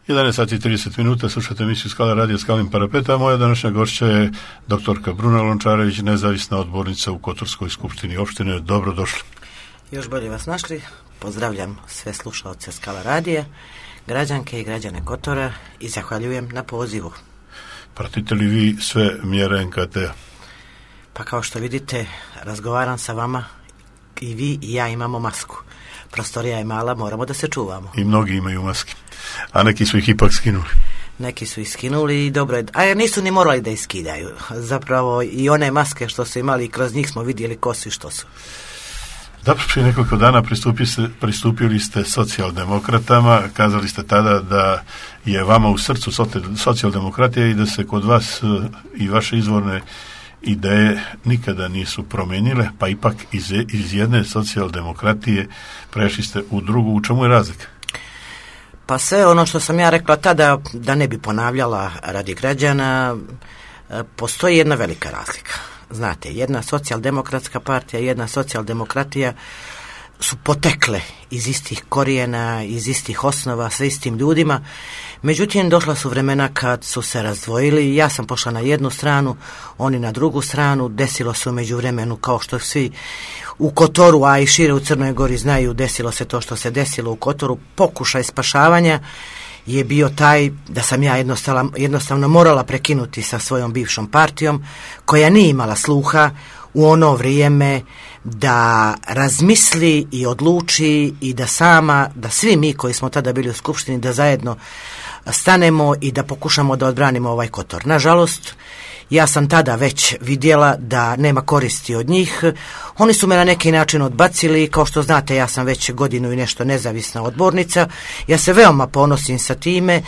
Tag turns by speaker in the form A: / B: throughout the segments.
A: 11 sati i 30 minuta, slušate emisiju Skala radija Skalnim parapeta. Moja današnja gošća je doktorka Bruna Lončarević, nezavisna odbornica u Kotorskoj skupštini opštine. Dobrodošli.
B: Još bolje vas našli. Pozdravljam sve slušaoce Skala radija, građanke i građane Kotora i zahvaljujem na pozivu.
A: Pratite li vi sve mjere NKT-a?
B: Pa kao što vidite, razgovaram sa vama i vi i ja imamo masku. Prostorija je mala, moramo da se čuvamo.
A: I mnogi imaju maske, a neki su ih ipak skinuli.
B: Neki su ih skinuli i dobro je, a nisu ni morali da ih skidaju. Zapravo i one maske što su imali, kroz njih smo vidjeli ko su i što su.
A: Dobro, prije nekoliko dana pristupili ste socijaldemokratama, kazali ste tada da je vama u srcu socijaldemokratija i da se kod vas i vaše izvorne ideje nikada nisu promijenile, pa ipak iz jedne socijaldemokratije prešli ste u drugu. U čemu je razlika?
B: Pa sve ono što sam ja rekla tada, da ne bi ponavljala radi građana, postoji jedna velika razlika. Znate, jedna socijaldemokratska partija i jedna socijaldemokratija su potekle iz istih korijena, iz istih osnova, sa istim ljudima. Međutim, došla su vremena kad su se razdvojili. Ja sam pošla na jednu stranu, oni na drugu stranu. Desilo se u međuvremenu, kao što svi u Kotoru, a i šire u Crnoj Gori znaju, desilo se to što se desilo u Kotoru. Pokušaj spašavanja je bio taj da sam ja jednostavno morala prekinuti sa svojom bivšom partijom, koja nije imala sluha u ono vrijeme da razmisli i odluči i da svi mi koji smo tada bili u skupštini, da zajedno stanemo i da pokušamo da odbranimo ovaj Kotor. Nažalost, ja sam tada već vidjela da nema koristi od njih. Oni su me na neki način odbacili. Kao što znate, ja sam već godinu i nešto nezavisna odbornica. Ja se veoma ponosim sa time,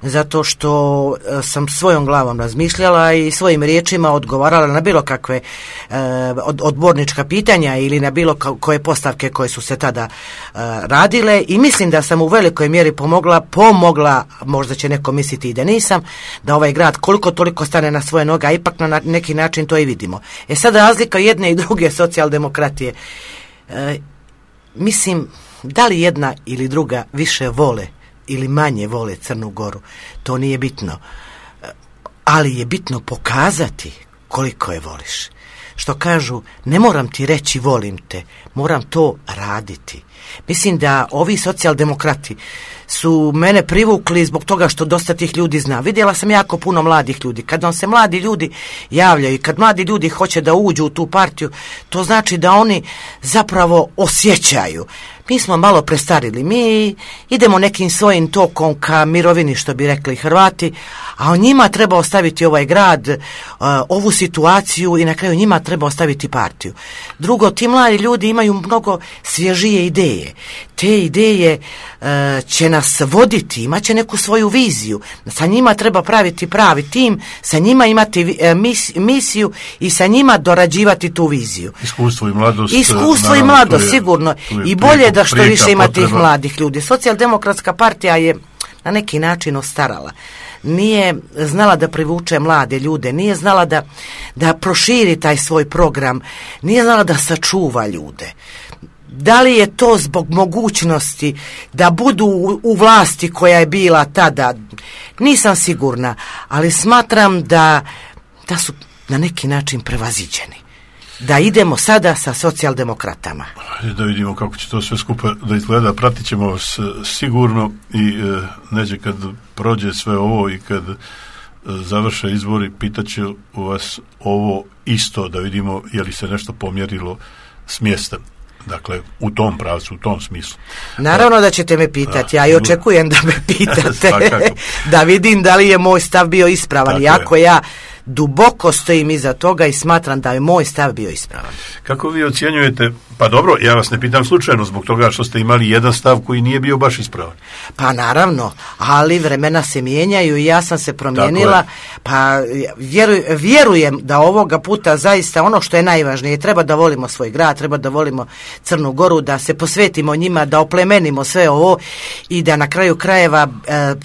B: zato što sam svojom glavom razmišljala i svojim riječima odgovarala na bilo kakve odbornička pitanja ili na bilo koje postavke koje su se tada radile, i mislim da sam u velikoj mjeri pomogla, možda će neko misliti i da nisam, da ovaj grad koliko toliko stane na svoje noge, a ipak na neki način to i vidimo. Sad razlika jedne i druge socijaldemokratije. Mislim, da li jedna ili druga više vole ili manje vole Crnu Goru, to nije bitno. Ali je bitno pokazati koliko je voliš. Što kažu, ne moram ti reći volim te, moram to raditi. Mislim da ovi socijaldemokrati su mene privukli zbog toga što dosta tih ljudi zna. Vidjela sam jako puno mladih ljudi. Kad vam se mladi ljudi javljaju i kad mladi ljudi hoće da uđu u tu partiju, to znači da oni zapravo osjećaju. Mi smo malo prestarili, mi idemo nekim svojim tokom ka mirovini, što bi rekli Hrvati, a o njima treba ostaviti ovaj grad, ovu situaciju, i na kraju njima treba ostaviti partiju. Drugo, ti mladi ljudi imaju mnogo svježije ideje. Te ideje će nas voditi, imat će neku svoju viziju. Sa njima treba praviti pravi tim, sa njima imati misiju i sa njima dorađivati tu viziju.
A: Iskustvo i
B: mladost, sigurno. I bolje da što više ima tih mladih ljudi. Socijaldemokratska partija je na neki način ostarala. Nije znala da privuče mlade ljude, nije znala da proširi taj svoj program, nije znala da sačuva ljude. Da li je to zbog mogućnosti da budu u vlasti koja je bila tada? Nisam sigurna, ali smatram da su na neki način prevaziđeni. Da idemo sada sa socijaldemokratama.
A: Da vidimo kako će to sve skupa da izgleda. Pratit ćemo vas sigurno i neđe kad prođe sve ovo i kad završe izbori, pitaću vas ovo isto, da vidimo je li se nešto pomjerilo s mjesta. Dakle, u tom pravcu, u tom smislu.
B: Naravno da ćete me pitati, ja i očekujem da me pitate, da vidim da li je moj stav bio ispravan. Iako ja duboko stojim iza toga i smatram da je moj stav bio ispravan.
A: Kako vi ocjenjujete, pa dobro, ja vas ne pitam slučajno zbog toga što ste imali jedan stav koji nije bio baš ispravan.
B: Pa naravno, ali vremena se mijenjaju i ja sam se promijenila, pa vjerujem da ovoga puta zaista ono što je najvažnije, treba da volimo svoj grad, treba da volimo Crnu Goru, da se posvetimo njima, da oplemenimo sve ovo i da na kraju krajeva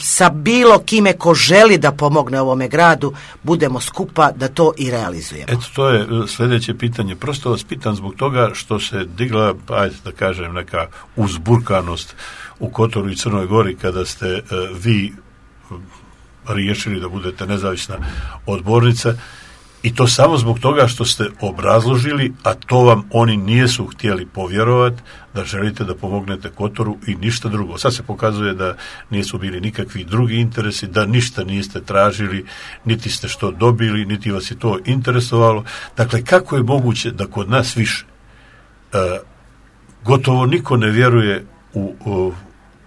B: sa bilo kime ko želi da pomogne ovome gradu, budemo skupa da to i realizujemo.
A: Eto, to je sljedeće pitanje. Prosto vas pitam zbog toga što se digla, ajde da kažem, neka uzburkanost u Kotoru i Crnoj Gori kada ste vi riješili da budete nezavisna odbornica, i to samo zbog toga što ste obrazložili, a to vam oni nisu htjeli povjerovati, da želite da pomognete Kotoru i ništa drugo. Sad se pokazuje da nisu bili nikakvi drugi interesi, da ništa niste tražili, niti ste što dobili, niti vas je to interesovalo. Dakle, kako je moguće da kod nas više gotovo niko ne vjeruje u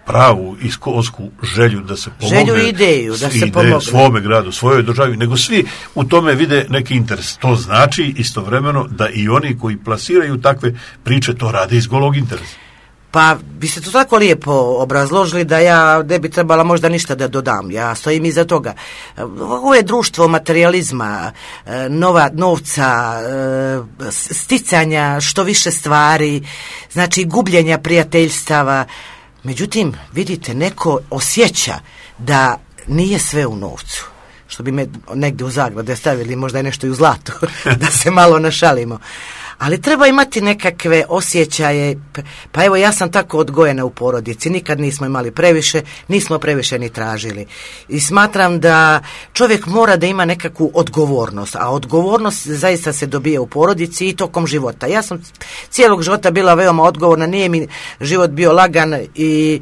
A: pravu iskonsku želju da se pomogne,
B: ideju, da se pomogne
A: svome gradu, svojoj državi, nego svi u tome vide neki interes. To znači istovremeno da i oni koji plasiraju takve priče to rade iz golog interesa.
B: Pa vi ste to tako lijepo obrazložili da ja ne bi trebala možda ništa da dodam. Ja stojim iza toga. Ovo je društvo materijalizma, novca, sticanja što više stvari, znači gubljenja prijateljstava. Međutim, vidite, neko osjeća da nije sve u novcu. Što bi me negdje u zagrade stavili, možda je nešto i u zlatu, da se malo našalimo. Ali treba imati nekakve osjećaje. Pa evo, ja sam tako odgojena u porodici, nikad nismo imali previše, nismo previše ni tražili. I smatram da čovjek mora da ima nekakvu odgovornost, a odgovornost zaista se dobije u porodici i tokom života. Ja sam cijelog života bila veoma odgovorna, nije mi život bio lagan i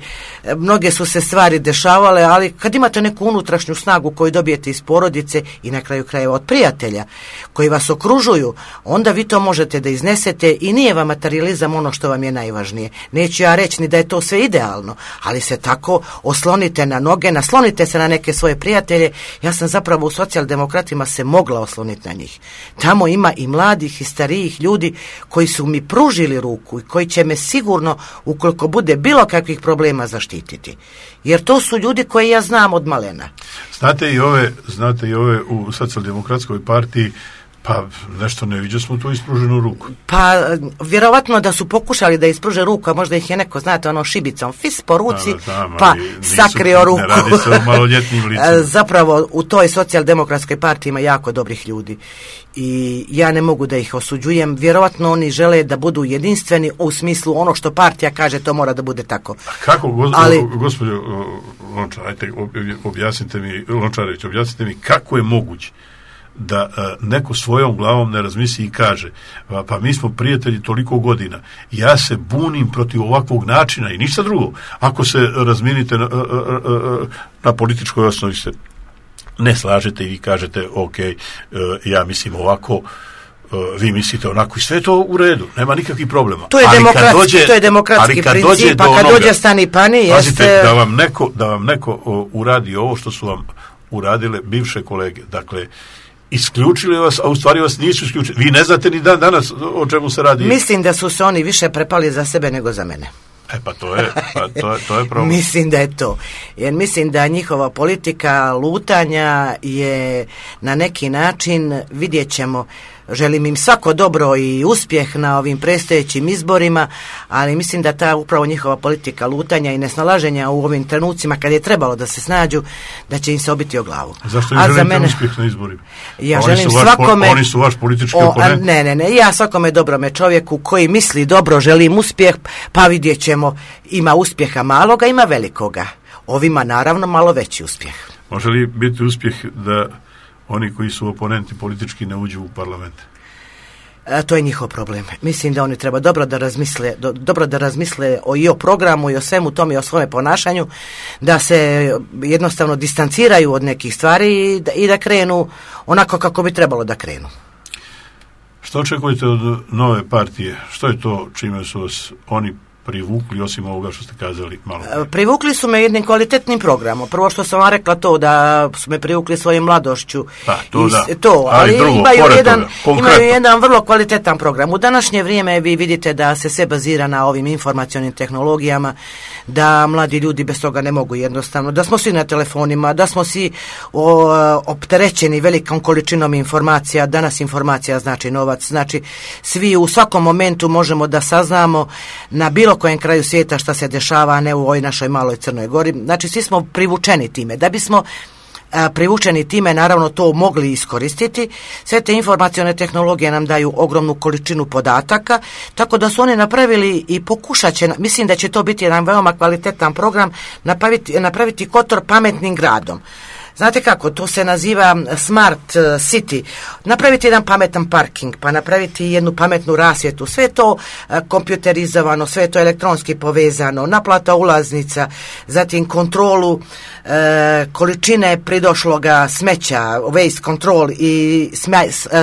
B: mnoge su se stvari dešavale, ali kad imate neku unutrašnju snagu koju dobijete iz porodice i na kraju krajeva od prijatelja koji vas okružuju, onda vi to možete da iznesete i nije vam materijalizam ono što vam je najvažnije. Neću ja reći ni da je to sve idealno, ali se tako oslonite na noge, naslonite se na neke svoje prijatelje. Ja sam zapravo u socijaldemokratima se mogla osloniti na njih. Tamo ima i mladih i starijih ljudi koji su mi pružili ruku i koji će me sigurno, ukoliko bude bilo kakvih problema, zaštititi. Jer to su ljudi koje ja znam od malena.
A: Znate i ove u socijaldemokratskoj partiji, pa nešto ne viđa smo tu ispruženu ruku.
B: Pa vjerovatno da su pokušali da ispruže ruku, a možda ih je neko, znate, šibicom fis po ruci, pa sakrio ruku.
A: Ne radi se o maloljetnim licima.
B: Zapravo u toj socijaldemokratskoj partiji ima jako dobrih ljudi i ja ne mogu da ih osuđujem. Vjerovatno oni žele da budu jedinstveni u smislu ono što partija kaže, to mora da bude tako.
A: A kako, gospođo Lončar, ajte, objasnite mi kako je moguće da neko svojom glavom ne razmisli i kaže, pa mi smo prijatelji toliko godina, ja se bunim protiv ovakvog načina i ništa drugo. Ako se razminite na političkoj osnovi se ne slažete i vi kažete ok, ja mislim ovako, vi mislite onako i sve je to u redu, nema nikakvih problema.
B: To je demokratski princip, pa kad dođe stani pani,
A: pazite, da vam neko uradi ovo što su vam uradile bivše kolege, dakle isključili vas, a u stvari vas nisu isključili. Vi ne znate ni danas o čemu se radi.
B: Mislim da su se oni više prepali za sebe nego za mene.
A: Pa to je problem.
B: Mislim da je to. Jer mislim da njihova politika lutanja je na neki način, vidjet ćemo, želim im svako dobro i uspjeh na ovim predstojećim izborima, ali mislim da ta upravo njihova politika lutanja i nesnalaženja u ovim trenucima kad je trebalo da se snađu, da će im se obiti o glavu.
A: Zašto im želite uspjeh na izborima?
B: Ja želim svakome...
A: Oni su vaš politički oponent?
B: Ne, ja svakome dobrome čovjeku koji misli dobro želim uspjeh, pa vidjet ćemo, ima uspjeha maloga, ima velikoga. Ovima naravno malo veći uspjeh.
A: Može li biti uspjeh da oni koji su oponenti politički ne uđu u parlament?
B: To je njihov problem. Mislim da oni treba dobro da razmisle i o programu i o svemu tome i o svome ponašanju, da se jednostavno distanciraju od nekih stvari i da krenu onako kako bi trebalo da krenu.
A: Što očekujete od nove partije? Što je to čime su vas oni privukli, osim ovoga što ste kazali malo?
B: Privukli su me jednim kvalitetnim programom. Prvo što sam vam rekla to, da su me privukli svojim mladošću. Ali drugo, imaju jedan vrlo kvalitetan program. U današnje vrijeme vi vidite da se sve bazira na ovim informacionim tehnologijama, da mladi ljudi bez toga ne mogu jednostavno, da smo svi na telefonima, da smo svi opterećeni velikom količinom informacija. Danas informacija znači novac, znači svi u svakom momentu možemo da saznamo na bilo kojem kraju svijeta šta se dešava, a ne u ovoj našoj maloj Crnoj Gori. Znači svi smo privučeni time. Da bismo privučeni time naravno to mogli iskoristiti. Sve te informacione tehnologije nam daju ogromnu količinu podataka, tako da su oni napravili i pokušat će, mislim da će to biti jedan veoma kvalitetan program, napraviti Kotor pametnim gradom. Znate kako, to se naziva Smart City. Napraviti jedan pametan parking, pa napraviti jednu pametnu rasvjetu. Sve je to kompjuterizovano, sve je to elektronski povezano, naplata ulaznica, zatim kontrolu količine pridošloga smeća, waste control i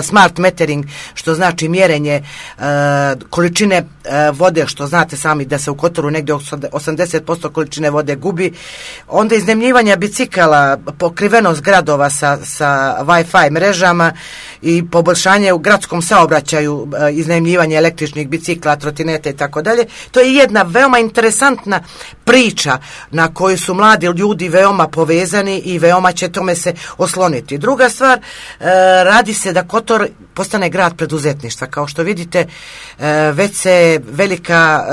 B: smart metering, što znači mjerenje količine vode, što znate sami da se u Kotoru negdje 80% količine vode gubi. Onda iznajmljivanja bicikala, pokrivenost gradova sa Wi-Fi mrežama i poboljšanje u gradskom saobraćaju, iznajmljivanje električnih bicikla, trotineta i tako dalje. To je jedna veoma interesantna priča na koju su mladi ljudi veoma povezani i veoma će tome se osloniti. Druga stvar, radi se da Kotor postane grad preduzetništva. Kao što vidite, već se velika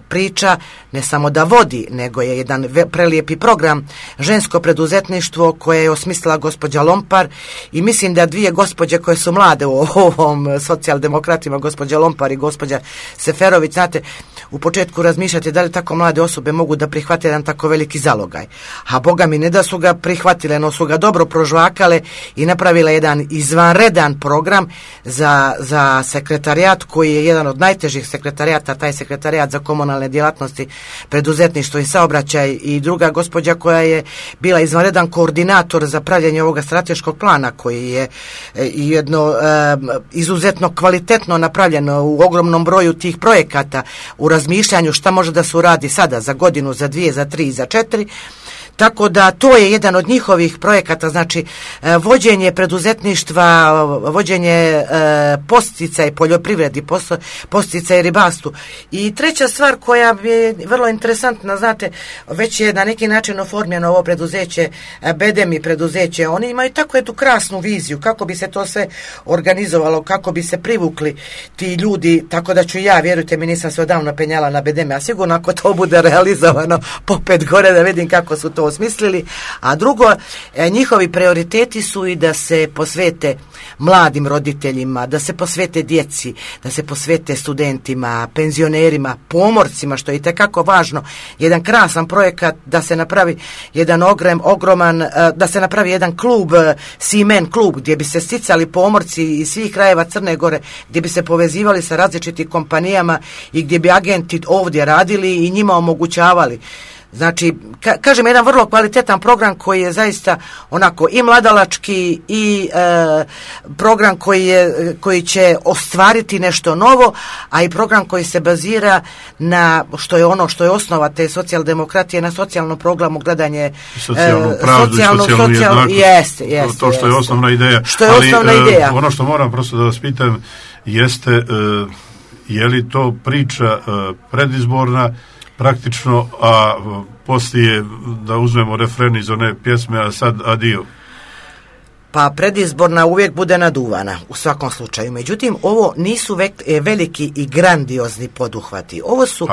B: priča ne samo da vodi, nego je jedan prelijepi program žensko preduzetništvo koje je osmislila gospođa Lompar i mislim da dvije gospođe koje su mlade u ovom socijaldemokratima, gospođa Lompar i gospođa Seferović, znate, u početku razmišljate da li tako mlade osobe mogu da prihvate jedan tako veliki zalogaj. A Boga mi ne da su ga prihvatile, no su ga dobro prožvakale i napravile jedan izvanredan program za sekretarijat koji je jedan od najtežih sekretarijata, taj sekretarijat za komunalne djelatnosti, preduzetništvo i saobraćaj, i druga gospođa koja je bila izvanredan koordinator za pravljenje ovoga strateškog plana koji je jedno izuzetno kvalitetno napravljeno u ogromnom broju tih projekata, u razmišljanju šta može da se uradi sada, za godinu, za 2, za 3, za 4. Tako da to je jedan od njihovih projekata, znači vođenje preduzetništva, vođenje podsticaj poljoprivredi, podsticaj ribarstvu. I treća stvar koja je vrlo interesantna, znate, već je na neki način oformljeno ovo preduzeće, Bedemi preduzeće, oni imaju tako jednu krasnu viziju kako bi se to sve organizovalo, kako bi se privukli ti ljudi, tako da ću ja, vjerujte mi, nisam se odavno penjala na Bedemi, a sigurno ako to bude realizovano popet gore da vidim kako su to osmislili. A drugo, njihovi prioriteti su i da se posvete mladim roditeljima, da se posvete djeci, da se posvete studentima, penzionerima, pomorcima, što je itekako važno. Jedan krasan projekat da se napravi jedan ogroman, da se napravi jedan klub, Seaman klub, gdje bi se sticali pomorci iz svih krajeva Crne Gore, gdje bi se povezivali sa različitim kompanijama i gdje bi agenti ovdje radili i njima omogućavali. Znači, kažem, jedan vrlo kvalitetan program koji je zaista onako i mladalački i program koji će ostvariti nešto novo, a i program koji se bazira na što je osnova te socijaldemokratije, na socijalnom programu gledanje
A: socijalnu pravdu i socijalnu jednakost.
B: Jeste,
A: to što je osnovna ideja.
B: Što je osnovna ideja.
A: Ono što moram prosto da vas pitam jeste je li to priča predizborna praktično, a poslije da uzmemo refren iz one pjesme, a sad adio?
B: Pa predizborna uvijek bude naduvana u svakom slučaju. Međutim, ovo nisu veliki i grandiozni poduhvati. Ovo su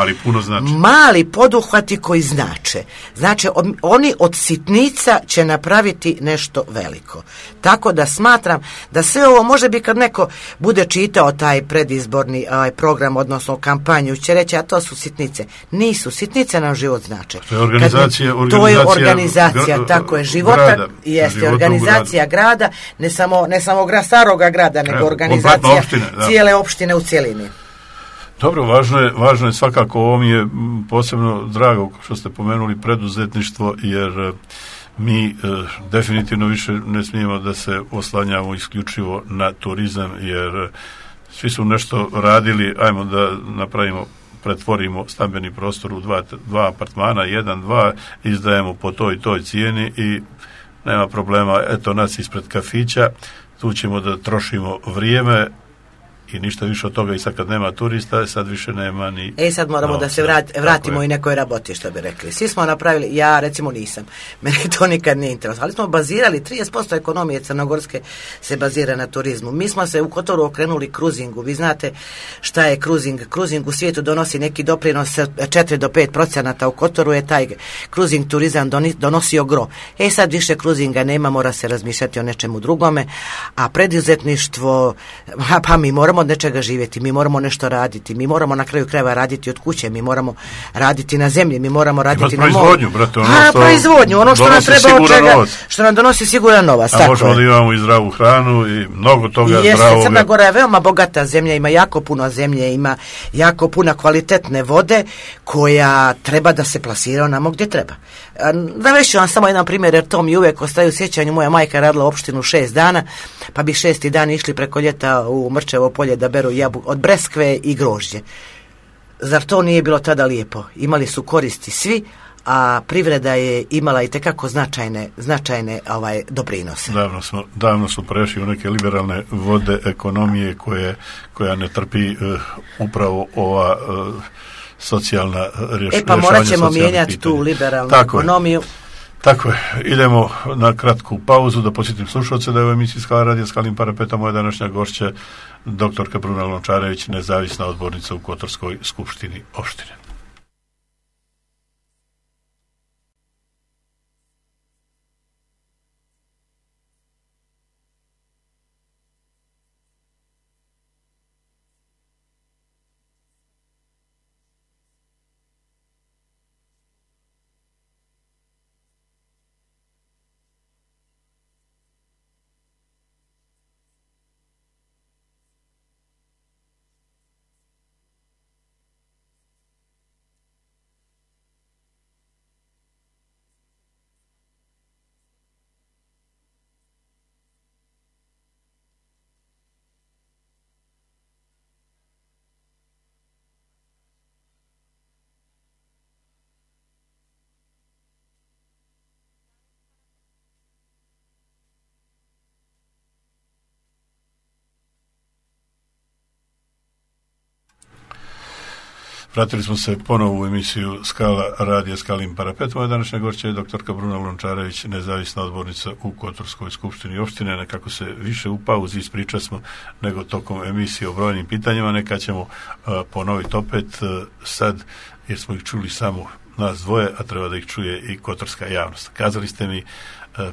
B: mali poduhvati koji znače. Znači, oni od sitnica će napraviti nešto veliko. Tako da smatram da sve ovo može biti kad neko bude čitao taj predizborni program, odnosno kampanju, će reći, a to su sitnice. Nisu. Sitnice nam život znače.
A: To je organizacija,
B: to je organizacija, tako je, života, jeste organizacija grada, ne samo staroga grada, nego organizacija cijele opštine u cjelini.
A: Dobro, važno je svakako, ovo mi je posebno drago što ste pomenuli preduzetništvo, jer mi definitivno više ne smijemo da se oslanjamo isključivo na turizam, jer svi su nešto radili, ajmo da pretvorimo stambeni prostor u dva apartmana, 1, 2, izdajemo po toj cijeni i nema problema, eto nas ispred kafića, tu ćemo da trošimo vrijeme i ništa više od toga. I sad kad nema turista, sad više nema ni...
B: Sad moramo da se vratimo i nekoj raboti, što bi rekli. Svi smo napravili, ja recimo nisam, mene to nikad nije interesovalo, ali smo bazirali, 30% ekonomije crnogorske se bazira na turizmu. Mi smo se u Kotoru okrenuli kruzingu. Vi znate šta je kruzing? Kruzing u svijetu donosi neki doprinos 4 do 5%, u Kotoru je taj kruzing turizam donosio gro. Sad više kruzinga nema, mora se razmišljati o nečemu drugome, a preduzetništvo, pa mi moramo od nečega živjeti, mi moramo nešto raditi, mi moramo na kraju krajeva raditi od kuće, mi moramo raditi na zemlji, mi moramo raditi na moru. Proizvodnju, ono što nam treba od čega, što nam donosi siguran novac.
A: A možemo da imamo i zdravu hranu i mnogo toga
B: zdravog. Crna Gora je veoma bogata zemlja, ima jako puno zemlje, ima jako puno kvalitetne vode koja treba da se plasira onamo gdje treba. Navešću vam samo jedan primjer, jer to mi uvijek ostaje u sjećanju. Moja majka radila u opštinu 6 dana, pa bi 6. dan išli preko ljeta u Mrčevo polje da beru jabuku od breskve i grožđe. Zar to nije bilo tada lijepo? Imali su koristi svi, a privreda je imala i tekako značajne doprinose.
A: Davno smo prešli u neke liberalne vode ekonomije koja ne trpi upravo ova socijalna rješavanja.
B: Pa morat ćemo mijenjati tu liberalnu ekonomiju.
A: Tako je. Idemo na kratku pauzu da posjetim slušalce da je u emisiji Skala radija Skalim Parapeta moja današnja gošća doktorka Bruna Lončarević, nezavisna odbornica u Kotorskoj skupštini opštine. Vratili smo se ponovo u emisiju Skala radija Skalim Parapet. Moja današnja gošća je doktorka Bruna Lončarević, nezavisna odbornica u Kotorskoj skupštini opštine. Nekako se više u pauzi ispričali smo nego tokom emisije o brojnim pitanjima. Neka ćemo ponoviti opet sad, jer smo ih čuli samo nas dvoje, a treba da ih čuje i kotorska javnost. Kazali ste mi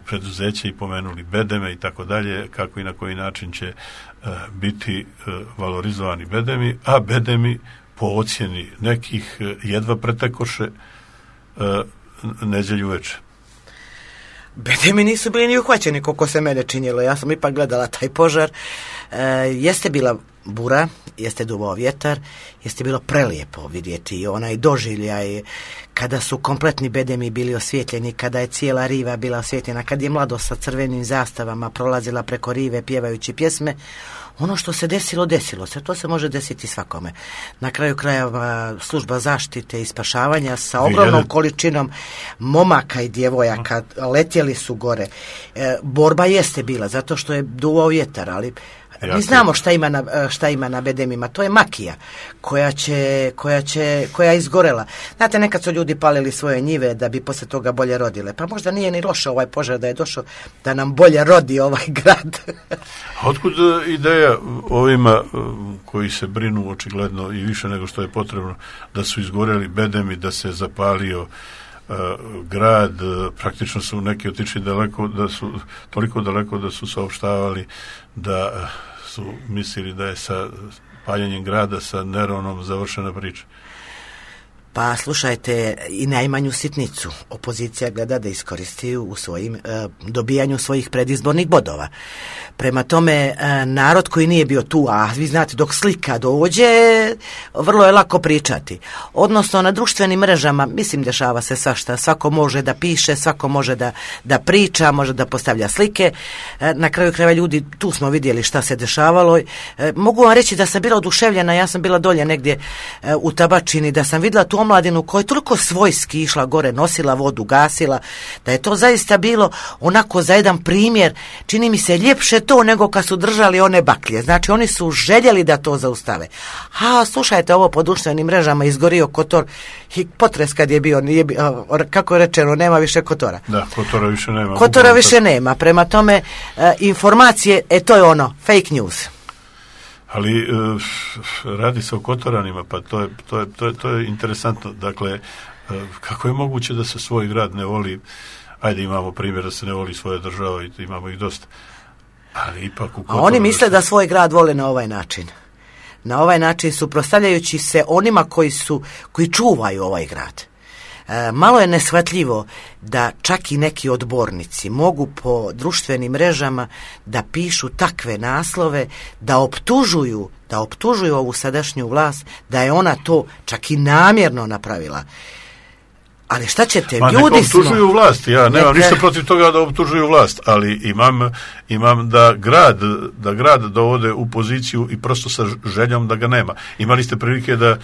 A: preduzeće i pomenuli bedeme i tako dalje, kako i na koji način će biti valorizovani bedemi, a bedemi po ocjeni nekih jedva pretekoše neđelju večer.
B: Bedemi nisu bili ni uhvaćeni, koliko se mene činjelo. Ja sam ipak gledala taj požar. Jeste bila bura, jeste duvao vjetar, jeste bilo prelijepo vidjeti onaj doživljaj kada su kompletni bedemi bili osvjetljeni, kada je cijela riva bila osvjetljena, kad je mladost sa crvenim zastavama prolazila preko rive pjevajući pjesme. Ono što se desilo se, to se može desiti svakome. Na kraju krajeva služba zaštite i spašavanja sa ogromnom količinom momaka i djevojaka letjeli su gore. Borba jeste bila, zato što je duvao vjetar, ali mi znamo šta ima na bedemima. To je makija koja je izgorela. Znate, nekad su ljudi palili svoje njive da bi poslije toga bolje rodile. Pa možda nije ni loše ovaj požar da je došao da nam bolje rodi ovaj grad.
A: Otkud ideja ovima koji se brinu očigledno i više nego što je potrebno da su izgoreli bedemi, da se zapalio grad, praktično su neki otišli toliko daleko da su saopštavali da su mislili da je sa paljenjem grada, sa Neronom završena priča.
B: Pa slušajte, i najmanju sitnicu opozicija gleda da iskoristi u svojim dobijanju svojih predizbornih bodova. Prema tome, narod koji nije bio tu, a vi znate, dok slika dođe, vrlo je lako pričati. Odnosno, na društvenim mrežama, mislim, dešava se svašta. Svako može da piše, svako može da priča, može da postavlja slike. Na kraju krajeva ljudi, tu smo vidjeli šta se dešavalo. Mogu vam reći da sam bila oduševljena, ja sam bila dolje negdje u Tabačini, da sam vidjela tu omladinu koja je toliko svojski išla gore, nosila vodu, gasila, da je to zaista bilo onako za jedan primjer, čini mi se ljepše to nego kad su držali one baklje. Znači oni su željeli da to zaustave. A slušajte, ovo po društvenim mrežama izgorio Kotor i potres kad je bio, kako je rečeno, nema više Kotora.
A: Da, Kotora više nema.
B: Kotora više nema, prema tome informacije, to je ono, fake news.
A: Ali radi se o Kotoranima, pa to je interesantno. Dakle, kako je moguće da se svoj grad ne voli? Ajde, imamo primjer da se ne voli svoja država i imamo ih dosta. Ali ipak u Kotoru...
B: A oni misle da svoj grad vole na ovaj način. Na ovaj način suprotstavljajući se onima koji čuvaju ovaj grad. Malo je neshvatljivo da čak i neki odbornici mogu po društvenim mrežama da pišu takve naslove, da optužuju ovu sadašnju vlast, da je ona to čak i namjerno napravila. Ali šta ćete, ljudi smo...
A: optužuju vlast, ja nemam ništa protiv toga da optužuju vlast, ali imam da grad dovode u poziciju i prosto sa željom da ga nema. Imali ste prilike da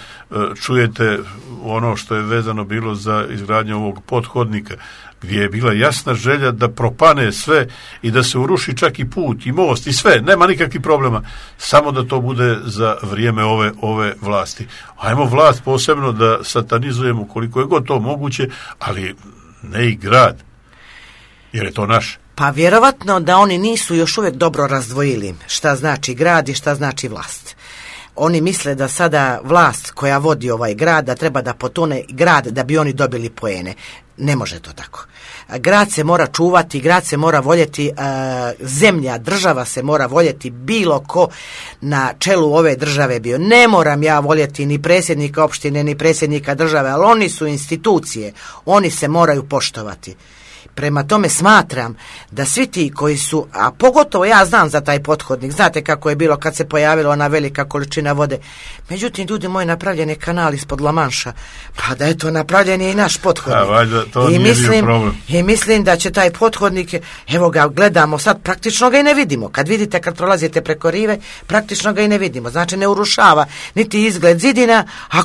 A: čujete ono što je vezano bilo za izgradnju ovog pothodnika, gdje je bila jasna želja da propane sve i da se uruši čak i put i most i sve, nema nikakvih problema, samo da to bude za vrijeme ove vlasti. Ajmo vlast posebno da satanizujemo koliko je god to moguće, ali ne i grad, jer je to naš.
B: Pa vjerovatno da oni nisu još uvijek dobro razdvojili šta znači grad i šta znači vlast. Oni misle da sada vlast koja vodi ovaj grad, da treba da potone grad da bi oni dobili poene. Ne može to tako. Grad se mora čuvati, grad se mora voljeti, zemlja, država se mora voljeti, bilo ko na čelu ove države bio. Ne moram ja voljeti ni predsjednika opštine, ni predsjednika države, ali oni su institucije, oni se moraju poštovati. Prema tome smatram da svi ti koji su, a pogotovo ja znam za taj pothodnik, znate kako je bilo kad se pojavila ona velika količina vode, međutim ljudi moji, napravljen je kanal ispod La Manša, pa da je to napravljen je i naš pothodnik.
A: Valjda, to nije bio problem.
B: I mislim da će taj pothodnik, evo ga gledamo sad, praktično ga i ne vidimo, kad vidite kad prolazite preko rive, praktično ga i ne vidimo, znači ne urušava niti izgled zidina, a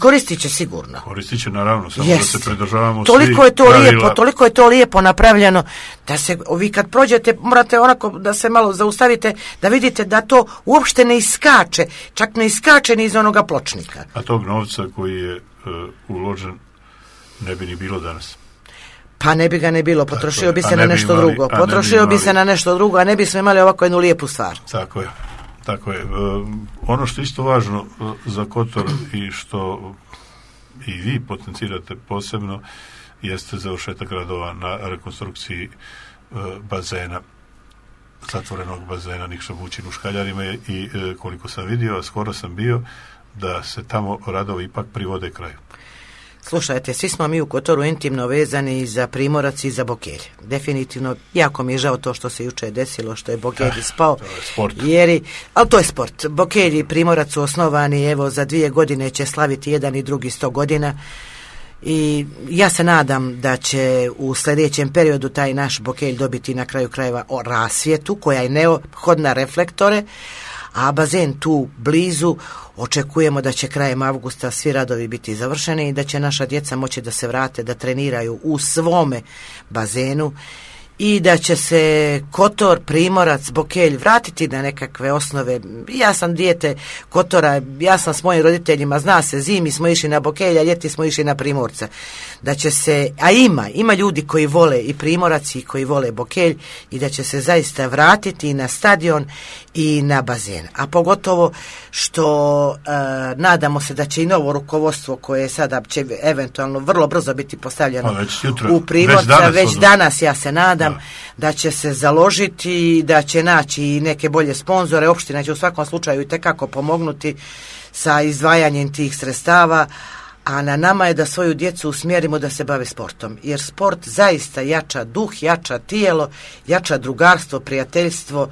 B: koristit će sigurno.
A: Koristit će naravno, samo da se pridržavamo
B: toliko je to lijepo, toliko je to lijepo napravljeno da se, vi kad prođete morate onako da se malo zaustavite da vidite da to uopšte ne iskače, čak ne iskače ni iz onoga pločnika.
A: A tog novca koji je uložen ne bi ni bilo danas.
B: Pa ne bi ga ne bilo, potrošio bi se na nešto drugo. Potrošio bi se na nešto drugo, a ne bismo imali ovako jednu lijepu stvar.
A: Tako je. Ono što je isto važno za Kotor i što i vi potencirate posebno jeste završetak radova na rekonstrukciji bazena, zatvorenog bazena Nikša Bućin u Škaljarima i koliko sam vidio, a skoro sam bio, da se tamo radovi ipak privode kraju.
B: Slušajte, svi smo mi u Kotoru intimno vezani za Primorac i za Bokelj. Definitivno, jako mi je žao to što se juče desilo, što je Bokelj ispao.
A: To je sport.
B: Ali to je sport. Bokelj i Primorac su osnovani, evo, za 2 godine će slaviti jedan i drugi 100 godina. I ja se nadam da će u sljedećem periodu taj naš Bokelj dobiti na kraju krajeva rasvjetu koja je neophodna, reflektore, a bazen tu blizu očekujemo da će krajem avgusta svi radovi biti završeni i da će naša djeca moći da se vrate, da treniraju u svome bazenu i da će se Kotor, Primorac, Bokelj vratiti na nekakve osnove. Ja sam dijete Kotora, ja sam s mojim roditeljima, zna se, zimi smo išli na Bokelj, a ljeti smo išli na Primorca. Da će se, a ima ljudi koji vole i Primorac i koji vole Bokelj i da će se zaista vratiti na stadion i na bazen. A pogotovo što nadamo se da će i novo rukovodstvo koje sada će eventualno vrlo brzo biti postavljeno u Primorca, već danas ja se nadam da će se založiti, da će naći i neke bolje sponzore. Opština će u svakom slučaju itekako pomognuti sa izdvajanjem tih sredstava, a na nama je da svoju djecu usmjerimo da se bave sportom, jer sport zaista jača duh, jača tijelo, jača drugarstvo, prijateljstvo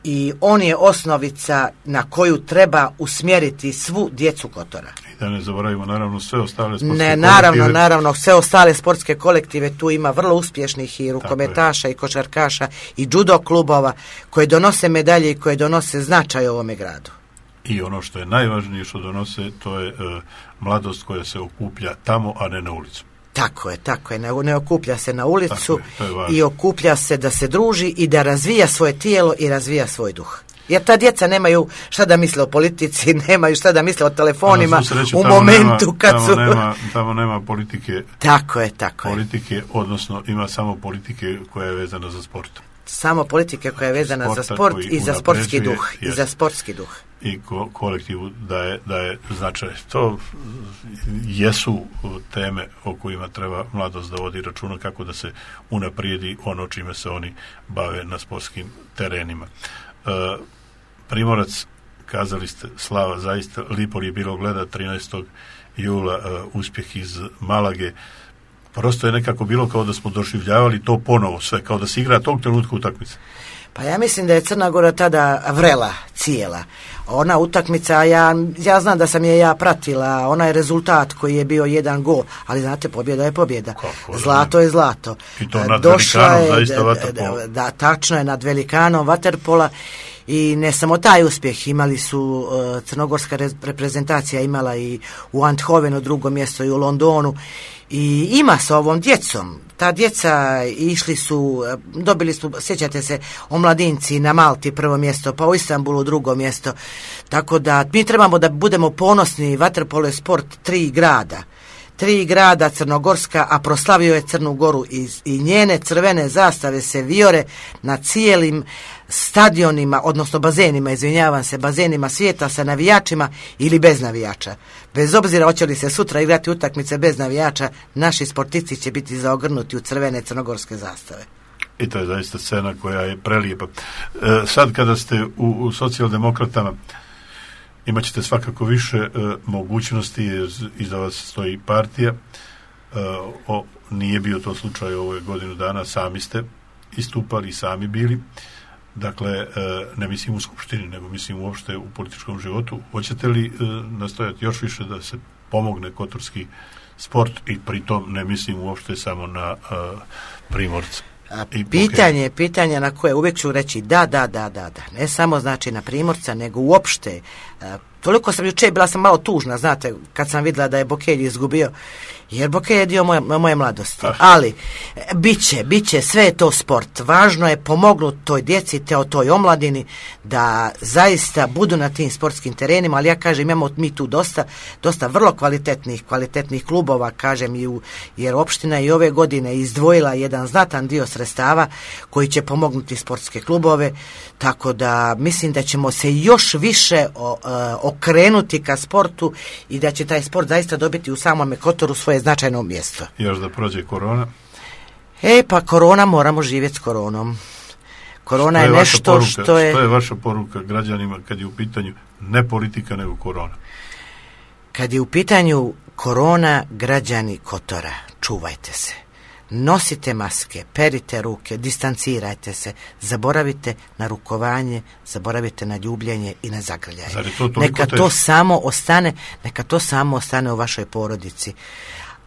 B: i on je osnovica na koju treba usmjeriti svu djecu Kotora.
A: I da ne zaboravimo naravno sve ostale sportske kolektive.
B: Naravno, sve ostale sportske kolektive, tu ima vrlo uspješnih i rukometaša i košarkaša i judo klubova koje donose medalje i koje donose značaj ovome gradu.
A: i ono što je najvažnije što donose, to je mladost koja se okuplja tamo, a ne na ulicu.
B: Tako je. Ne okuplja se na ulicu
A: je
B: i okuplja se da se druži i da razvija svoje tijelo i razvija svoj duh. Jer ta djeca nemaju šta da misle o politici, nemaju šta da misle o telefonima u momentu kad su...
A: Tamo nema politike.
B: Tako je.
A: Politike, odnosno ima samo politike koja je vezana za sport.
B: Samo politike koja je vezana za sport i za sportski duh. I za sportski duh.
A: I kolektivu daje značaj. To jesu teme o kojima treba mladost da vodi računa, kako da se unaprijedi ono čime se oni bave na sportskim terenima. Primorac, kazali ste, slava, zaista lipo je bilo gleda 13. jula uspjeh iz Malage. Prosto je nekako bilo kao da smo doživljavali to ponovo sve, kao da se igra tog trenutka utakmice.
B: Pa ja mislim da je Crna Gora tada vrela cijela. Ona utakmica, ja znam da sam je pratila, onaj rezultat koji je bio 1 gol, ali znate, pobjeda je pobjeda. Zlato je zlato.
A: I to nad Velikanom, zaista vaterpola.
B: Da, tačno je, nad Velikanom vaterpola. I ne samo taj uspjeh, imali su crnogorska reprezentacija, imala i u Eindhovenu 2. mjesto i u Londonu, i ima sa ovom djecom. Ta djeca išli su, dobili su, sjećate se, omladinci na Malti 1. mjesto, pa u Istanbulu 2. mjesto. Tako da mi trebamo da budemo ponosni. Vaterpolo je sport 3 grada. 3 grada crnogorska, a proslavio je Crnu Goru i njene crvene zastave se vijore na cijelim stadionima, odnosno bazenima svijeta sa navijačima ili bez navijača. Bez obzira hoće li se sutra igrati utakmice bez navijača, naši sportisti će biti zaogrnuti u crvene crnogorske zastave.
A: I to je zaista scena koja je prelijepa. Sad kada ste u socijaldemokratama, imat ćete svakako više mogućnosti, iza vas stoji partija. Nije bio to slučaj ove godinu dana, sami ste istupali i sami bili. Dakle, ne mislim u skupštini, nego mislim uopšte u političkom životu. Hoćete li nastojati još više da se pomogne kotorski sport, i pritom ne mislim uopšte samo na Primorca?
B: Pitanje na koje uvijek ću reći da. Ne samo znači na Primorca, nego uopšte. Toliko sam jučer, bila sam malo tužna, znate, kad sam vidjela da je Bokelj izgubio, jer Bokelj je dio moje mladosti. Ali, bit će, sve je to sport. Važno je pomognuti toj djeci, toj omladini, da zaista budu na tim sportskim terenima, ali ja kažem, imamo mi tu dosta vrlo kvalitetnih klubova, kažem, jer opština i ove godine izdvojila jedan znatan dio sredstava koji će pomognuti sportske klubove, tako da mislim da ćemo se još više okrenuti ka sportu i da će taj sport zaista dobiti u samome Kotoru svoje značajno mjesto.
A: Još da prođe korona?
B: Pa korona, moramo živjeti s koronom. Korona je nešto što je...
A: Što je vaša poruka građanima kad je u pitanju ne politika, nego korona?
B: Kad je u pitanju korona, građani Kotora, čuvajte se. Nosite maske, perite ruke, distancirajte se, zaboravite na rukovanje, zaboravite na ljubljenje i na zagrljaje. Neka to samo ostane u vašoj porodici.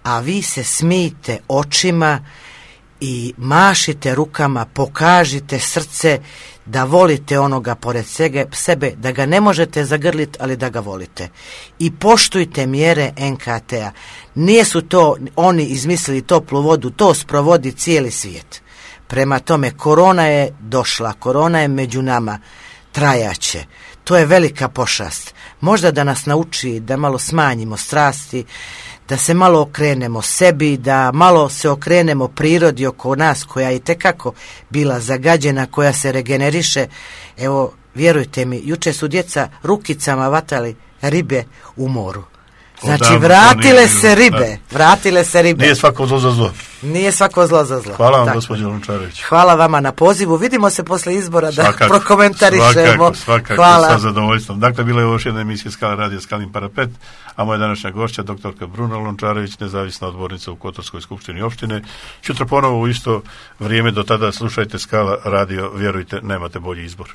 B: A vi se smijte očima i mašite rukama, pokažite srce da volite onoga pored sebe, da ga ne možete zagrliti, ali da ga volite. I poštujte mjere NKT-a. Nisu to oni izmislili toplu vodu, to sprovodi cijeli svijet. Prema tome, korona je došla, korona je među nama, trajaće. To je velika pošast. Možda da nas nauči da malo smanjimo strasti, da se malo okrenemo sebi, da malo se okrenemo prirodi oko nas koja je itekako bila zagađena, koja se regeneriše. Evo, vjerujte mi, juče su djeca rukicama vatali ribe u moru. Znači, vratile se ribe.
A: Nije svako zlo za zlo.
B: Nije svako zlo za zlo.
A: Hvala vam, gospođo Lončarević.
B: Hvala vama na pozivu. Vidimo se posle izbora da prokomentarišemo.
A: Svakako,
B: hvala.
A: Sa zadovoljstvom. Dakle, bila je još jedna emisija Skala radija Skalin parapet, a moja današnja gošća, doktorka Bruna Lončarević, nezavisna odbornica u Kotorskoj skupštini opštine. Sutra ponovo u isto vrijeme, do tada slušajte Skala radio, vjerujte, nemate bolji izbor.